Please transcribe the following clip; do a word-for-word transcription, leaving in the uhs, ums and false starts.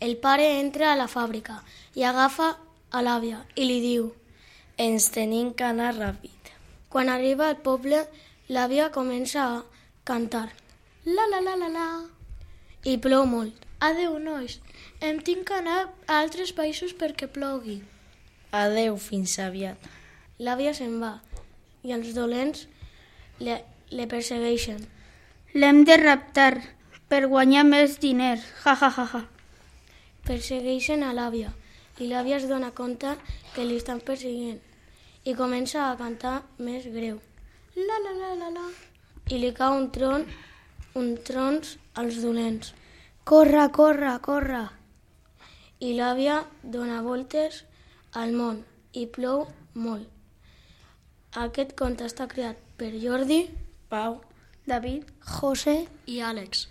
El pare entra a la fàbrica i agafa a l'àvia i li diu: ens tenim que anar ràpid. Quan arriba al poble, l'àvia comença a cantar. La la la la la. I plou molt. Adeu, nois. Em tinc que anar a altres països perquè plogui. Adeu, fins aviat. L'àvia se'n va i els dolents le, le persegueixen. L'hem de raptar per guanyar més diners. Ja, ja, ja, ja. Persegueixen a l'àvia i l'àvia es dona compte que li estan perseguint i comença a cantar més greu. La la la la la. I li cau un tron, un trons als dolents. Corre, corre, corre. I l'àvia dona voltes al món i plou molt. Aquest conte està creat per Jordi, Pau, David, José i Àlex.